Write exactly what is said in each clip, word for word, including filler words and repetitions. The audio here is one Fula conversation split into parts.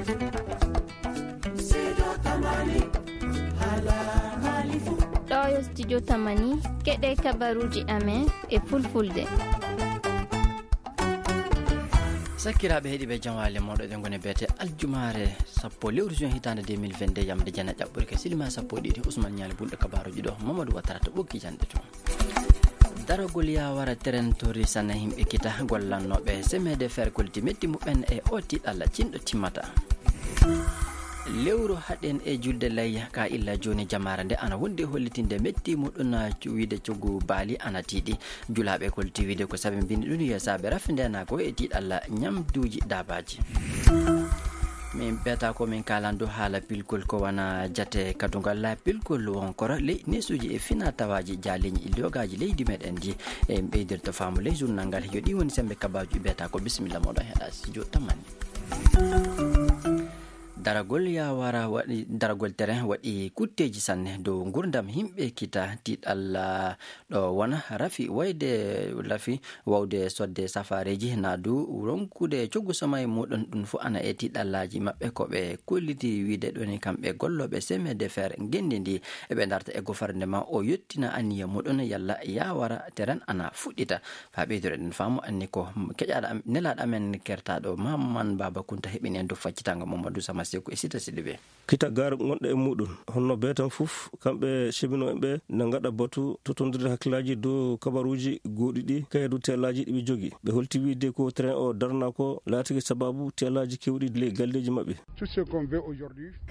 Ɗo yo studio Tamani, keɗe kabaruuji amen e fulfulde. Sakkiraaɓe heɗiiɓe, jam waali e mooɗon, eɗen ngoni beete aljumaare sappo lewru juin hitaande deux mille vingt-deux, yamde jeenayi ɓurke silima sappo e ɗiɗi. Usman Ñaali bulɗo kabaruuji ɗo, Mamadou Watara to ɓokki jannde to. Daragol yaawara teren torri sanne yimɓe kita gollannooɓe semaine de fer kolti metti muɓɓen e o tiiɗalla cinɗo timmata. Lewru haɗen e julde layya ka illa jooni jamaare nde ana wondi hollitinde metti muɗum wiide coggu baali ana tiiɗi. Julaaɓe kolti wiide ko sabi mbindi ɗum yo saabe rafi ndenaa ko e tiiɗalla ñamduuji daabaaji. Min ɓeeta ko min kaalandu haala pilkol ko wana jate kadungal pilkol wonkora ley nesuuji e fina tawaaji jaaleeji illiyogaaji leydi meɗen ndi. E ɓeydirta faamu ley journal ngal yo ɗi woni sembe kabaaji ɓeeta ko bisimilla moɗon heɗa studio Tamani. Daragol yaawara waɗi daragol terrain waɗi kutteeji sanne dow ngurdam yimɓe kita tiiɗalla ɗo wona rafi wayde rafi wawde sodde safareeji naadu ronkude coggu sama e muɗum ɗum fof ana e tiiɗallaaji maɓɓe ko ɓe kolliti wiide ɗoni kamɓe gollooɓe semaine de fer ngenndi ndi eɓe darta e gofarnde ma o yettina anniya muɗum yalla yaawara terrain ana fuɗɗita. Faa ɓeyduɗen faamu anni ko keƴaaɗo am nelaaɗo amen kertaaɗo Maman Baba Kunta heɓini en dow faccitango Mamadou Sama Seku e Sita Sidibe. Kita gaar gonɗo e muɗum honno beetan fof kamɓe cebino en ɓe na ngaɗa batu totondirde hakkillaaji dow kabaruuji gooɗi ɗi kaydu teelaaji ɗi ɓe jogi ɓe holti wiide ko train o darna ko laatiki sababu teelaaji kewɗi ley galleeji maɓɓe.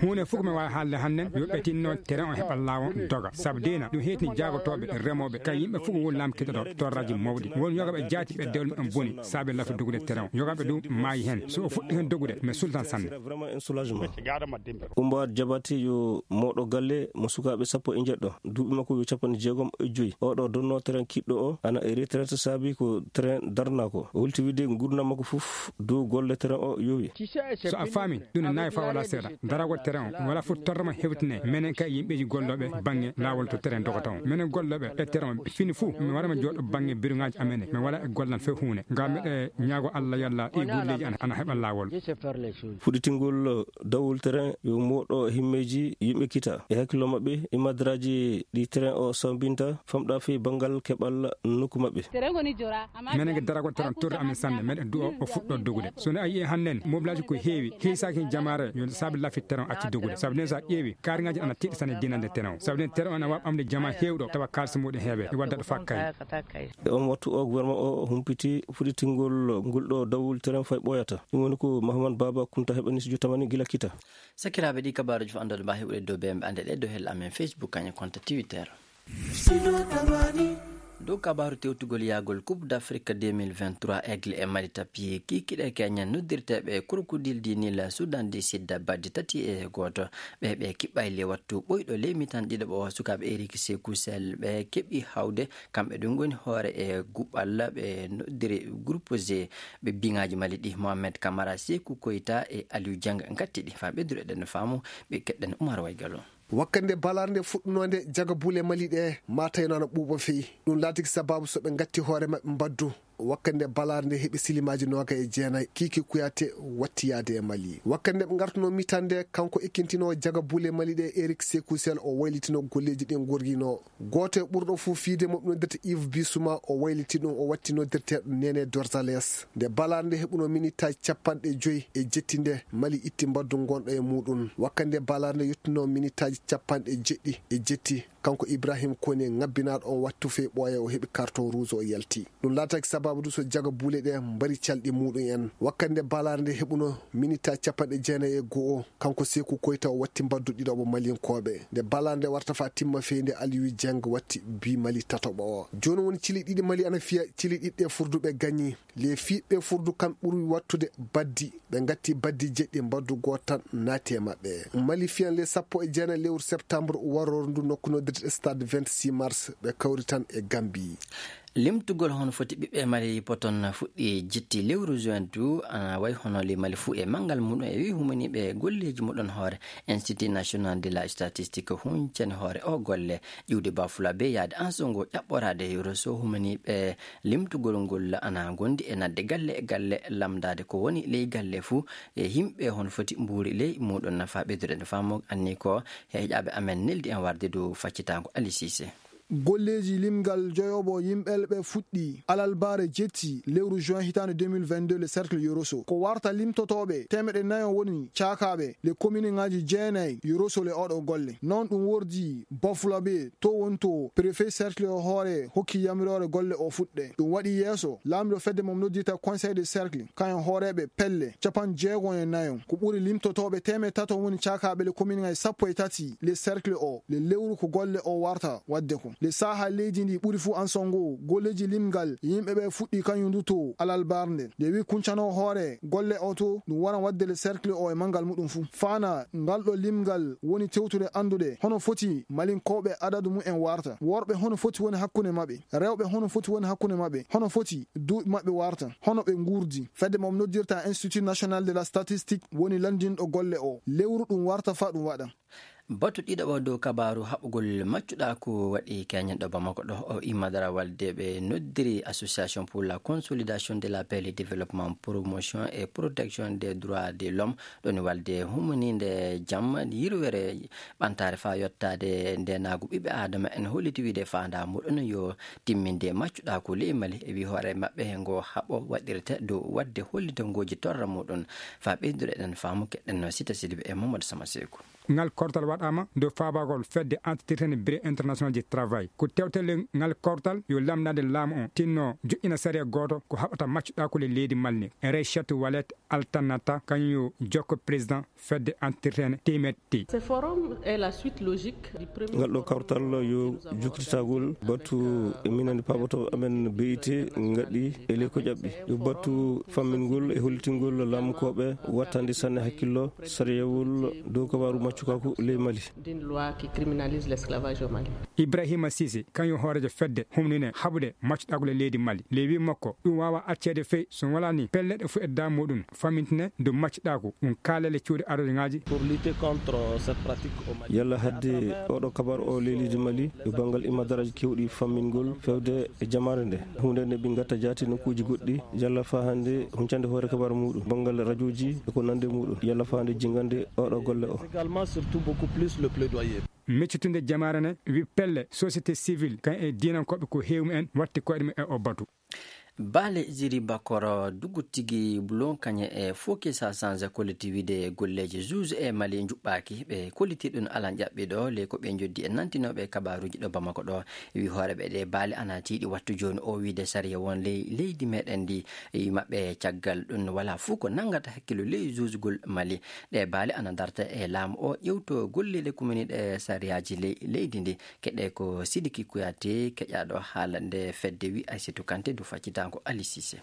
Huunde fof ko mi waawi haalde hannden yo ɓe tinno terrain o heɓa laawol doga sabu deena ɗum heetini jaagotooɓe remooɓe kay yimɓe fof ko woni laamkiɗo ɗo torraji mawɗi won yogaɓe jaati ɓe dewle mumen boni saabe lafi dogude terrain o yogaɓe ɗum maayi heen so o fuɗɗi heen dogude mi sultan sanne. Umbaat jabati yo mooɗo galle mo sukaaɓe sappo e njeɗɗo duuɓi makko yo capanɗe jeegom e joyi oɗo donno train kiɗɗo o ana e retraite saabi ko train darna ko o holti wiide ngurdam makko fof dow golle train o yowi. So a faami ɗum ne naawi faa wala seeɗa daragol terrain o wala fof torrama hewtine menen kay yimɓeeji gollooɓe bannge laawol to terrain dogata o menen gollooɓe e terrain o fini fof mi warama jooɗo bannge biruŋaaji amen mi wala e gollal fof huunde ngam miɗo ñaago Allah yalla ɗi golleeji ana heɓa laawol. Fuɗitingol dawol terrain yo mooɗo himmeeji yimɓe kita e hakkillo maɓɓe e madraaji ɗi terrain o sambinta famɗa fii banngal keɓal nokku maɓɓe. Menen ke daragol terrain torri amen sanne meɗen du'o o fuɗɗo dogude so ne a yi'e hannden mobilaaji ko heewi hiisaaki jamaare yo saabi lafi terrain acci dogude sabu nden so a ƴeewi kaariŋaaji ana tiiɗi sanne dinande terrain o sabu nden terrain o ana waawi ɓamde jama heewɗo tawa kaalisi muɗum heewe e wadda ɗo fakkay. E on wattu o gouvernement o humpiti fuɗitingol ngol ɗo dawol terrain fay ɓooyata ɗum woni ko Mahamad Baba Kunta heɓani studio Tamani gila kita. Sakiraaɓe ɗi kabaaruji fof anndude mba heɓude dow bemɓe annde ɗe dow hel amen Facebook kañum konta Twitter. Dow kabaaru tewtugol yahgol Coupe d'Afrique deux mille vingt-trois Aigle e Mali tappi kikiɗe keñen noddirteeɓe Crocodile du Nil Soudan du Sud baddi tati e gooto. Ɓe ɓe kiɓɓay le wattu ɓoyɗo leymitan ɗiɗo ɓo sukaaɓe Eric Sekou Sel ɓe keɓi hawde kamɓe ɗum ngoni hoore e guɓɓal ɓe noddiri groupe G. Ɓe biŋaaji Mali ɗi Mohamed Camara Sekou Koita e Aliou Dieng ngatti ɗi faa ɓedduru eɗen faamu ɓe keɗɗen Oumar Waygalo. Wakkande balaare nde fuɗɗunoonde jaga buule Mali ɗe ma tawno ana ɓuuɓa feyi ɗum laatiki sababu so ɓe ngatti hoore maɓɓe mbaddu wakkande balaare nde heɓi silimaaji nooga e jeenayi kiiki kuyate watti yaade e Mali wakkande ɓe ngartuno mitande kanko ekkintinoowo jaga buule Mali ɗe Eric Sekou Sel o waylitino golleeji ɗin gorgino gooto e ɓurɗo fof fiide mo ɓe noddirta Yves Bissouma o wayliti ɗum o watti noddirteeɗo Nene Dorzales nde balaare nde heɓuno minitaaji capanɗe joyi e jetti nde Mali itti mbaddu ngonɗo e muɗum wakkande balaare nde yettuno minitaaji capanɗe jeɗɗi e jetti kanko Ibrahim Kone ngabbinaaɗo on wattu fey ɓooya o heɓi carton rouge o yalti ɗum laataki sababu du so jaga buule ɗe mbari calɗi muɗum en wakkande balaare nde heɓuno minitaaji capanɗe jeenayi e go'o kanko Seeku Koyta o watti mbaddu ɗiɗaɓo Malinkooɓe nde balaare nde warta faa timma fey nde Aliyu Jeng watti bi Mali tataɓo o jooni woni cili ɗiɗi Mali ana fiya cili ɗiɗi ɗe furduɓe gañi le fiɓɓe furdu kam ɓuri wattude baddi ɓe ngatti baddi jeɗɗi mbaddu gooto tan naati e maɓɓe Mali fiyan le sappo e jeenayi lewru septembre warooru ndu nokku noddirte stade vingt-six mars ɓe kawri tan e Gambie. Limtugol hono foti ɓiɓɓe Mali poton fuɗɗi jitti lewru juin du, ana wayi hono li Mali fuu e manngal muɗum e wi humaniiɓe golleeji muɗum hoore Institut National de la Statistique huncani hoore o golle. Ƴiwde Bafula be yaade Ansongo ƴaɓɓoraade Yoroso humaniiɓe limtugol ngol ana ngondi e nadde galle e galle lamndaade ko woni ley galle fuu e yimɓe hono foti mbuuri ley muɗum nafa ɓeydude no faamu anni ko heeƴaaɓe amen neldi en warde du faccitaango Ali Cissé. Golleeji limgal joyobo yimɓelɓe fuɗɗi alalbaare jetti lewru juin hitaande deux mille vingt-deux le cercle Yoroso. Ko warta limtotooɓe teemeɗe nayo woni caakaaɓe le commune ŋaaji jeenayi Yoroso le oɗo golle. Noon ɗum wordi Bafulabe to woni to préfet cercle o hoore hokki yamiroore golle o fuɗɗe. Ɗum waɗi yeeso laamiɗo fedde mo noddirta conseil de cercle, kañum hooreeɓe pelle capanɗe jeego e nayo. Ko ɓuri limtotooɓe teemeɗe tato woni caakaaɓe le commune ŋaaji sappo e tati le cercle o le lewru ko golle o warta waɗde ko. Le saaha leydi ndi ɓuri fuu Ansongo, golleeji limgal yimɓe ɓe fuɗɗi kañum du to alalbarnde. Nde wi kuncano hoore golle o to, ɗum wara waɗde le cercle o e manngal muɗum fuu. Faana ngal ɗo limgal woni tewtude anndude hono foti Malinkooɓe adadu mumen warta. Worɓe hono foti woni hakkunde maɓɓe. Rewɓe hono foti woni hakkunde maɓɓe. Hono foti duuɓi maɓɓe warta. Hono ɓe nguurdi. Fedde mo noddirta Institut National de la Statistique woni lanndinɗo golle o. Lewru ɗum warta fa ɗum waɗa. Batu ɗiɗaɓo dow kabaaru haɓugol maccuɗaaku waɗi keñen ɗo Bamako ɗo. O imma darawal de ɓe noddiri Association pour la Consolidation de la Paix, le Développement, Promotion et Protection des Droits de l'Homme, ɗoni walde humaniinde jam, yirwere ɓantaare faa yottaade ndeenaagu ɓiɓɓe Aadama en holliti wiide faandaa muɗum yo timminde maccuɗaaku ley Mali. E wi hoore maɓɓe ngo haɓo waɗirte dow waɗde hollitangooji torra muɗum faa ɓeydude eɗen faamu keɗɗen no Sita Sidibe e Mamadou Sama Seeku. Ngal kortal waɗaama dow faabagol fedde antitirtene Bureau International du Travail. Ko tewtelle ngal kortal yo lamndaade laamu on tinno joƴƴina sariya gooto ko haɓata maccuɗaaku ley leydi Mali. Raychatu Walet Altanata kañum yo jokko président fedde antitirtene teemetti. Ce forum est la suite logique du premier ngal ɗo forum kawtal yo jukkititagol batu minen paabotooɓe amen B I T ngaɗi e ley ko ƴaɓɓi. Yo batu fammingol e hollitingol laamukooɓe wattande sanne hakkillo sariyawol dow kabaaru maccukaaku ley Mali. D'une loi qui criminalise l'esclavage au Mali. Ibrahima Sise, kañum hooreejo fedde humnine haɓude maccuɗaaku ley leydi Mali. Ley wi makko, ɗum waawa acceede fey so walaa ni pelleɗe fof e daa muɗum famintine dow maccuɗaaku, ɗum kaalele cuuɗi arorŋaaji. Pour lutter contre cette pratique au Mali. Yalla hadde oɗo kabar o ley leydi Mali, yo banngal imadaraaji kewɗi fammingol fewde e jamaare nde. Huunde nde ɓe ngatta jaati nokkuuji goɗɗi, yalla faa hannde huncande hoore kabar muɗum, banngal rajooji e ko nande muɗum, yalla faa hannde jingande oɗo golle o. Également, surtout beaucoup plus le plaidoyer. Meccitunde jamaare ne wi pelle société civile kan e diinankooɓe ko heewi en watti koyɗe mum e o batu. Baale Ziri Bakoro dugutigi bulon kañe e foki sa sanza kolliti wiide golleeji juge e Mali njuɓɓaaki ɓe kolliti ɗum alan ƴaɓɓiɗo le ko ɓe njoddi e nantinooɓe kabaaruuji ɗo Bamako ɗo. Wi hooreɓe ɗe baale ana tiiɗi wattu jooni o wiide sariya won ley leydi meɗen ndi e maɓɓe caggal ɗum wala fuu ko nangata hakkilo ley juugol Mali. Ɗe baale ana darta e laamu o ƴewto golleele kumini ɗe sariyaaji ley leydi ndi. Keɗe ko Sidiki Kuyate keƴaɗo haala nde fedde wi Aysatu Kante du faccitango Ali Sise.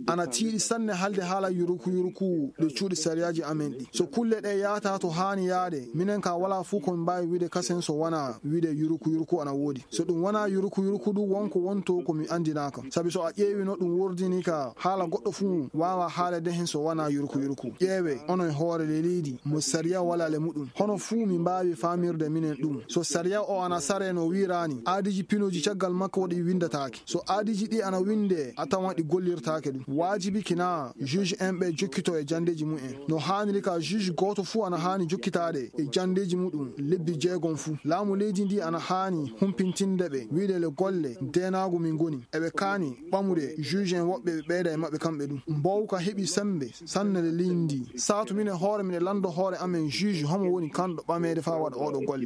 Ana tiiɗi sanne halde haala yuruku yuruku ɗe cuuɗi sariyaaji amen ɗi. So kulle ɗe yaata to haani yaade, minen ka wala fuu ko min mbaawi wiide kasen so wana wiide yuruku yuruku ana woodi. So ɗum wana yuruku yuruku ɗum wonko wonto ko mi anndinaaka. Sabi so a ƴeewi no ɗum wordini ka haala goɗɗo fuu waawa haalede hen so wana yuruku yuruku. Ƴeewe, onon hoore le leydi, mo sariya wala le muɗum. Hono fuu mi mbaawi faamirde minen ɗum. So sariya o ana sare no wiiraani, aadiji pinooji caggal makko waɗi winndataake. So aadiji ɗi ana winnde, a tawan ɗi gollirtaake ɗum. Waajibi kina juge en ɓe jokkito e janndeeji mumen. No haaniri ka juge gooto fuu ana haani jokkitaade e janndeeji muɗum lebbi jeegom fuu. Laamu leydi ndi ana haani humpintinde ɓe, wiide le golle deenaagu min ngoni. Eɓe kaani ɓamude juge en woɓɓe ɓe ɓeyda e maɓɓe kamɓe ɗum. Mbowka heɓi semmbe sanne le leydi ndi. Saatu minen hoore miɗen lanndo hoore amen juge homo woni kanɗo ɓameede faa waɗa oɗo golle.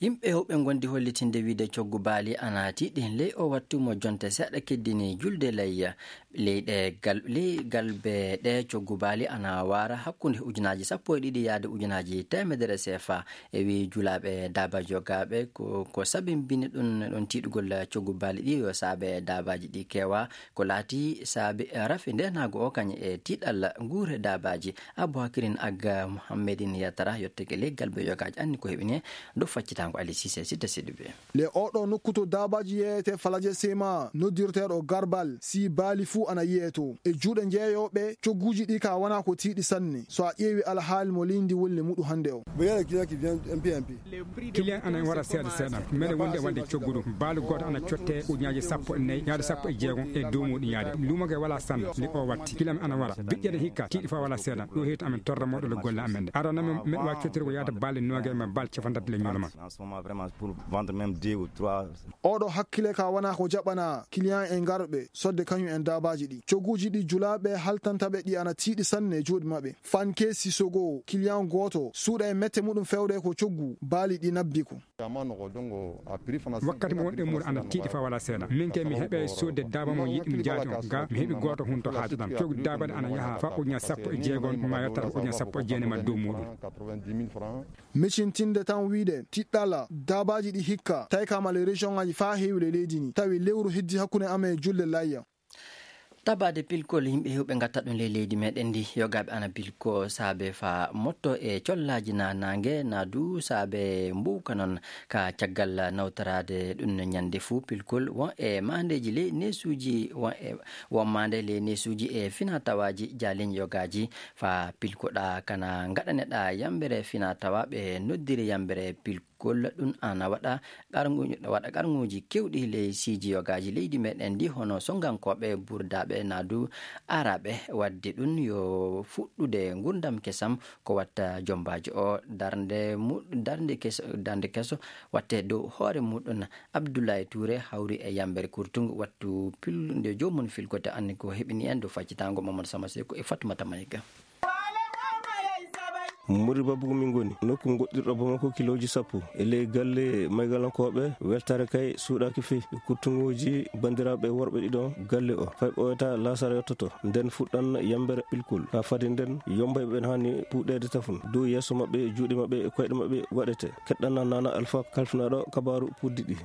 Yimɓe hewɓe ngondi hollitinde wiide coggu baali ana tiiɗi ley o wattu mo jonte seeɗa keddini julde layya. Leyɗe gal-, ley galbe ɗe coggu baali ana waara hakkunde ujunaaji sappo e ɗiɗi yaade ujunaaji teemedere seefa. E wii julaaɓe daabaaji yogaaɓe ko, ko sabimbini ɗum, ɗum tiiɗugol coggu baali ɗi yo saabe daabaaji ɗi keewa. Ko laati saabe rafi ndeenaagu o kañum e tiiɗalla nguure daabaaji. Abou Hakirin Aga Mohammedin Yatara yottake ley galbe yogaaji anni ko heɓini e dow faccitaango Ali Cissé Sidda Sidibé. Le oɗo nokku to daabaaji yeeyete falaje sema noddirteeɗo garbal si baali fuu ana yiyeto e juuɗe njeeyooɓe cogguuji ɗi ka wana ko tiiɗi sanne so a ƴeewi alhaali mo leydi woni le muɗu hannde o. Client ana wara seeɗa seeɗa. Mene wonde wande coggudu. Baalu gooto ana cotte ujunnaaje sappo e nayi, yaade sappo e jeegom e dow muɗum yaade. Luumo ge wala sanna, nde o watti. Client ana wara. Biƴƴe ne hikka, tiiɗi fa wala seeɗa. Ɗo heeto amen torra moɗo le golle amen ɗe. Aɗa na men, men wa cottirgo yaade baali nooge ma baali cafanɗe tati le ñoloma. En ce moment, vraiment, pour vendre même deux ou trois. Oɗo hakkile ka wana ko jaɓana client e ngarɓe sodde kañum en daabaaji ɗi. Cogguuji ɗi julaaɓe haltanta ɓe ɗi ana tiiɗi sanne e juuɗe maɓɓe. Fanke Sisogo, client gooto, suuɗa e mette muɗum fewde ko coggu, baali ɗi nabbi ko. Wakkati mo wonɗen muɗum ana tiiɗi fa wala seeɗa. Min kay mi heɓe sodde daaba mo yiɗi mi jaati on. Ga mi heɓi gooto hun to haaju ɗan. Coggu daaba ɗe ana yaha fa ujunnaaje sappo e jeegom, ma yottata ko ujunnaaje sappo e jeenayi ma dow muɗum. Micintinde tan wiide, tiɗɗala, daabaaji ɗi hikka, tawi ka male région ngaji fa heewi le leydi ni, tawi lewru heddi hakkunde amen e julde layya. Tabaade pilkol yimɓe heewɓe ngatta ɗum ley leydi meɗen ndi, yogaaɓe ana pilko saabe fa motto e collaaji na naange, na du saabe mbuuka noon ka caggal nawtoraade ɗum no ñande fuu pilkol won e maandeeji ley neesuuji, won e, won maande ley neesuuji e fina tawaaji jaaliñ yogaaji fa pilkoɗa kana ngaɗaneɗa yambere fina tawa ɓe noddiri yambere pilkol. Golla ɗum ana waɗa qarngu-, waɗa qarnguuji keewɗi ley siiji yogaaji leydi meɗen ndi, hono sonngankooɓe, burdaaɓe, naa du aaraaɓe. Waɗde ɗum yo fuɗɗude nguurndam kesam ko watta jombaajo o. Darnde mu-, darnde keso, darnde keso watte dow hoore muɗum. Abdoulaye Touré hawri e yambere kurtungu wattu pil-, nde joomum filkote anni ko heɓini en dow faccitaango Mamadou Sama Seko e Fatoumata Maïga. Mori Babugu min ngoni nokku goɗɗirɗo Bamako kilooji sappo. E ley galle maygalankooɓe weltaare kay suuɗaaki fii. Ɓe kurtunguuji banndiraaɓe worɓe ɗiɗo galle o. Fay ɓooyata laasara yottoto. Nden fuɗɗan yambere ɓilkol. Haa fadi nden, yombayɓe ɓen haani puɗeede tafun. Dow yeeso maɓɓe, juuɗe maɓɓe, e koyɗe maɓɓe waɗete. Keɗɗana Nana Alfa kalfinaaɗo kabaaru puddi ɗi.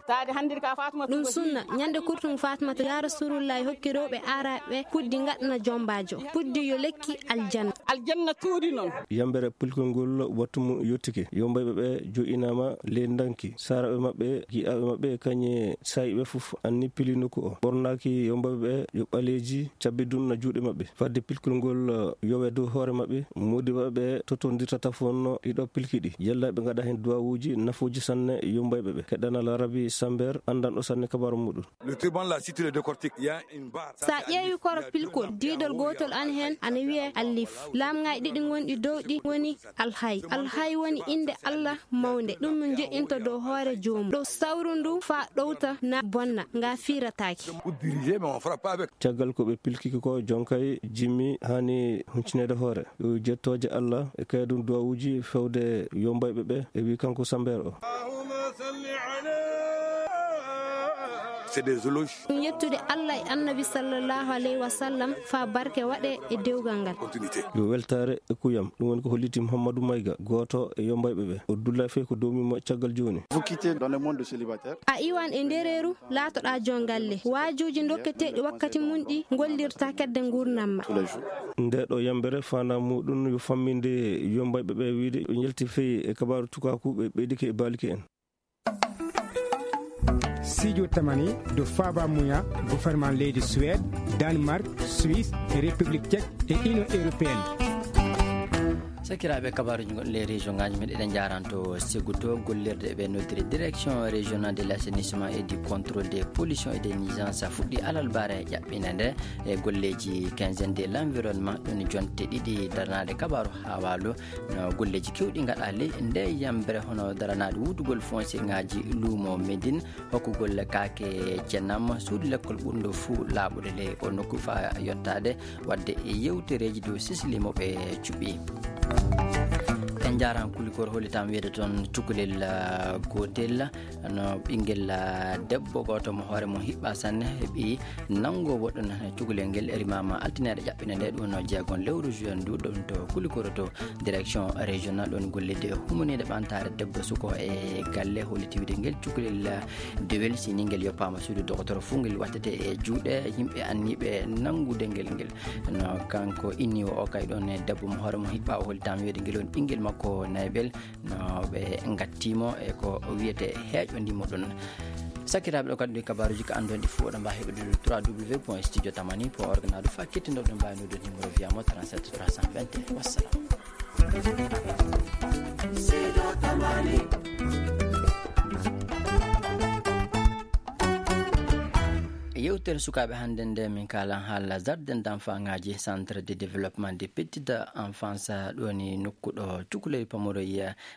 Ɗum sunna, ñande kurtungu Fatimata, yaa Rasulullahi hokki rewɓe aaraaɓe puddi ngaɗana jombaajo. Puddi yo lekki aljanna. Aljanna tuudi noon. Yambere pilkol ngol wattu mum yottike. Yombayɓe ɓe jo'inaama ley ndanki. Saaraaɓe maɓɓe, gi'aaɓe maɓɓe, kañe saayiɓe fof anni pili nokku o. Ɓornaaki yombayɓe ɓe yo ɓaleeji cabbi dun na juuɗe maɓɓe. Fadde pilkol ngol yowe dow hoore maɓɓe, moodiɓɓe ɓe totondirta tafon ɗiɗo pilki ɗi. Yalla ɓe ngaɗa heen duwawuuji nafuuji sanne yombayɓe ɓe. Keɗɗana Larabi Samber, anndanɗo sanne kabaaru muɗum. Le turban, la, si tu le décortiques, il y a une barre. Sa ƴeewi koro pilkol, diidol gootol an heen ana wiyee alif. Laamŋaaji ɗiɗi ngonɗi dow ɗi woni alhay. Alhay woni innde Allah mawnde. Ɗum no jo'inta dow hoore joomum. Ɗo sawru ndu faa ɗowta na bonna, nga fiirataake. Vous dirigez, mais on frappe pas avec. Caggal ko ɓe pilkiki ko, jonkay jimmi haani huncineede hoore. Yo jettooje Allah e kayɗum duwawuuji fewde yombayɓe ɓe, e wi kanko Sambeer o. C'est des éloges. Ɗum yettude Allah e Annabi sallallahu alayhi wa sallam faa barke waɗe e dewgal ngal. Continuité. Yo weltaare e kuyam. Ɗum woni ko holliti Mouhamadou Maïga, gooto e yombayɓe ɓe. O dulla fey ko dowmi mo caggal jooni. Vous quittez dans le monde de célibataire. A iwan e ndereeru, laatoɗaa jongalle. Waajuuji dokketeeɗi wakkati mum ɗi ngollirta kedde nguurndam ma. Tous les jours. Nde ɗo yambere faandaa muɗum yo famminde yombayɓe ɓe wiide ɓe njalti fey e kabaaru tukaaku ɓe ɓeydike e baalike en. Sijo tamani do faaba muya gouvernement leydi Suède, Danemark, Suisse, e République Tchèque e Union Européenne. Sakiraaɓe, kabaaruuji gonɗi ley région ŋaaji men, eɗen njaaranto segguto gollirde ɓe noddiri Direction Régionale de l'Assainissement et du Contrôle des Pollutions et des Nuisances fuɗɗi alarbaare ƴaɓɓinde nde e golleeji quinzaine de l'environnement, ɗum jonte ɗiɗi daranaade kabaaru haa waalo. No golleeji keewɗi ngaɗaa ley nde yambre, hono daranaade wuutugol foncier ŋaaji luumo Médine, hokkugol kaake ceenam, suudu lekkol ɓurndu fuu laaɓude ley o nokku faa yottaade waɗde e yewtereeji dow sisili mo ɓe cuɓi. En njaaraama, Kulikoro hollitaama wiyde toon cukalel, ah, gootel, no ɓinngel, ah, debbo gooto mo hoore mum hiɓɓaa sanne, heɓi nanngoowo ɗum cukalel ngel, rimaama altine ƴaɓɓinde nde, ɗum no jeegon lewru juin ndu, ɗum to Kulikoro to direction régionale ɗoon gollidiiɗo e humaniiɗe ɓamtaare debbo suko e galle, holliti wiyde ngel cukalel, ah, dewel, si ni ngel yoppaama suudu dokotoro fof, ngel wattete e juuɗe yimɓe anniiɓe nanngude ngel ngel. No kanko inniiwo o kay ɗoon e debbo mo hoore mum hiɓɓaa, o hollitaama wiyde ngel woni ɓinngel makko naybel, no ɓe ngattiimo e ko wiyetee heeƴo ndimo ɗum. Sakiraaɓe, ɗo kadi ɗi kabaaruuji ko annduɗon ɗi fof, oɗon mbaawi heɓude trois W point studio tamani point org, naadu fa kettinɗo ɗum mbaawi noddude numéro via mo trente-sept trois cent vingt et un. Wassalam. Yewtere sukaaɓe hannde nde, min kaalan haala jardin d'enfant ngaaji, centre de développement des petites enfances, ɗo ni nokku ɗo cukalel pamaro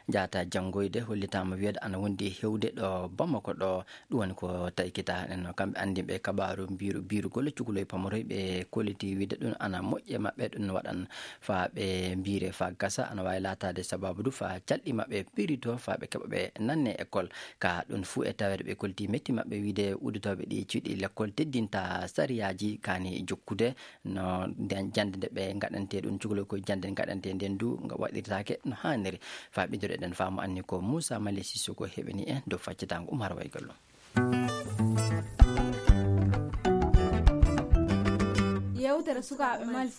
njahata janngoyde, hollitaama wiyde ana wondi hewde ɗo Bamako ɗo. Ɗum woni ko taykita en, kamɓe anndinɓe kabaaru mbiiru, biiru golle cukalel pamaro, ɓe kolliti wiyde ɗum ana moƴƴi e maɓɓe, ɗum waɗan faa ɓe mbiire faa gasa, ana waawi laataade sabaabu du faa calɗi maɓɓe pirito faa ɓe keɓa ɓe nanne école. Ka ɗum fuu e taweede ɓe kolliti metti maɓɓe wiyde udditooɓe ɗi cuuɗi lekkol teddinta sariyaaji kaani jokkude no nden jannde nde ɓe ngaɗantee ɗum cukalel, ko jannde ngaɗantee nden du nga waɗirtaake no haaniri. Faa ɓeydoreɗen faamu anni ko Moussa Mali Sissoko heɓini en dow faccitaango Umar Waygallo. Yewtere sukaaɓe Mali.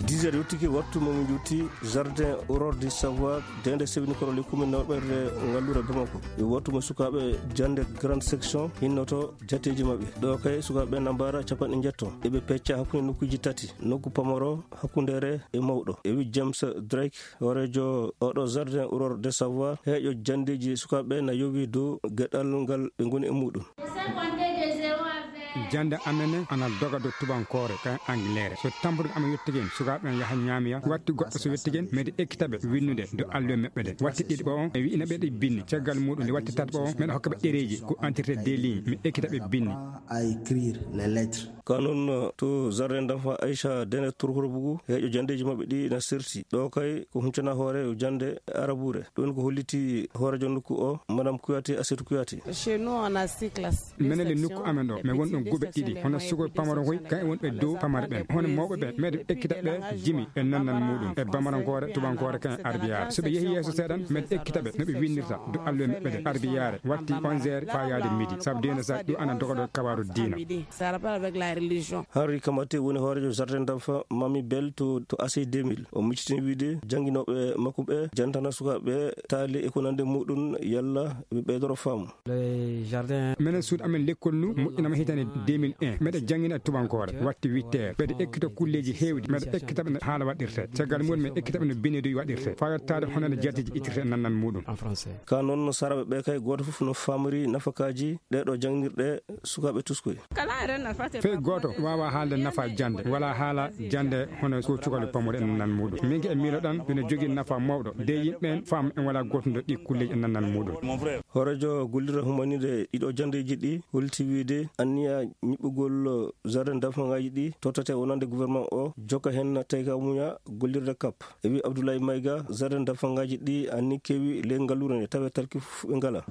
Dix heures yottike, wattu mo min njutti jardin Aurore du Savoir, deende sewinikoro le commune nawɓerde ngallure Bamako. E wattu mo sukaaɓe jannde grande section hinnoto jatteeji maɓɓe. Ɗo kay sukaaɓe na mbaara capanɗe njetto. Eɓe pecca hakkunde nokkuuji tati, nokku pamaro, hakkundeere e mawɗo. E wi James Drake, hooreejo oɗo jardin Aurore de Savoir, heeƴo janndeeji sukaaɓe na yowi dow geɗal ngal ɓe ngoni e muɗum. Jannde amen ana doga dow tubankoore, ka angleere. So tampude amen yettigen, sukaaɓe en yaha ñaamiya, watti goɗɗo so yettigen, mede ekkita ɓe winnude dow alluwe maɓɓe ɗe. Watti ɗiɗi ɓo on, e wi'ina ɓe ɗe binni. Caggal muɗum, nde watti tati ɓo on, meɗa hokka ɓe ɗereeji, ko entretien des lignes, mi ekkita ɓe binni. À écrire les lettres. Ka noon, to jardin d'enfant Aïcha Dene Turhurbugu, heeƴo janndeeji maɓɓe ɗi na serti. Ɗo kay ko huncana hoore jannde arabuure. Ɗum ko holliti hooreejo nokku o, Madame Kouyaté, Assetou Kouyaté. Chez nous, on a six classes. Menen le nokku amen ɗo, mi won ɗon guɓe ɗiɗi. Hono sukoy pamaro koy, kan e won ɓe dow pamare ɓen. Hono mawɓe ɓe, meɗe ekkita ɓe jimi e nannan muɗum. E bamarankoore, tubankoore kan arbiyaare. So ɓe yehi yeeso seeɗan, meɗe ekkita ɓe no ɓe winnirta dow alluwe maɓɓe ɗe. Arbiyaare, watti onze heures faa yaade midi. Sabu diina sa ɗum ana doga ɗo kabaaru diina. Ça a rapport avec la religion. Henri Kamaté woni hooreejo jardin d'enfant Mami Bell to, to A C deux mille. O miccitini wiide jannginooɓe makko ɓe jantana sukaaɓe taali e ko nandi muɗum yalla ɓe ɓeydoro faamu. Le jardin. Menen suudu amen lekkol nu moƴƴinama hitande deux mille un. Meɗe janngina e tubankoore. Watti huit heures. Mbeɗe ekkita kulleeji heewɗi. Meɗe ekkita ɓe no haala waɗirte. Caggal mum, mi ekkita ɓe no binndudi waɗirte. Faa yottaade hono no jatteeji ittirte e nannan muɗum. En français. Ka noon, saraaɓe ɓe kay, gooto fof no faamori nafakaaji ɗee ɗoo janngirɗe sukaaɓe tuskoy. Fey gooto waawaa haalde nafa jannde, walaa haala jannde hono ko cukalel pamaro e nannan muɗum. Min ke e miiloɗan, ɓe no jogii nafa mawɗo. De yimɓe en faam en walaa gootundo ɗi kulleeji e nannan muɗum. Hooreejo gollirde humaniiɗe ɗiɗo janndeeji ɗi holti wiide anniya ñiɓɓugol jardin d'enfantaaji ɗi tottete wonande gouvernement o jokka heen tayka muña gollirde kap. E wi Abdoulaye Maïga, jardin d'enfantaaji ɗi anni keewi ley ngalluure nde tawe talki fof ɓe ngala.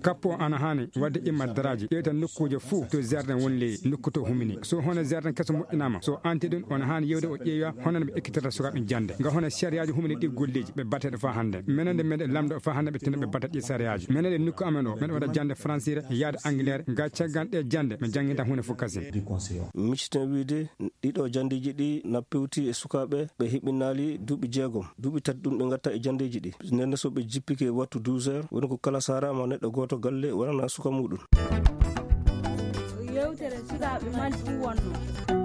Kap o ana haani waɗde imma daraaji, ƴeewta nokkuuje fof to jardin woni ley nokku to humini. So hono jardin keso moƴƴinaama, so anti ɗum, on haani yewde o ƴeewa hono no ɓe ekkitirta sukaaɓe jannde. Nga hono sariyaaji humini ɗi golleeji, ɓe batte ɗo faa hannde. Menen nde meɗen lamndo faa hannde ɓe tinno ɓe batta ɗi sariyaaji. Menen e nokku amen o, meɗen waɗa jannde fransire, yaade angileere, nga caggal ɗe jannde, mi jannginta huunde fof kasin. Micciten wiide, ɗiɗo janndeeji ɗi na pewti e sukaaɓe ɓe heɓinaali duuɓi jeegom. Duuɓi tati ɗum ɓe ngatta e janndeeji ɗi. Nden so ɓe jippike wattu douze heures, woni ko kala saara ma neɗɗo gooto galle wonana suka muɗum. Yewtere sukaaɓe Mali fuu wonno.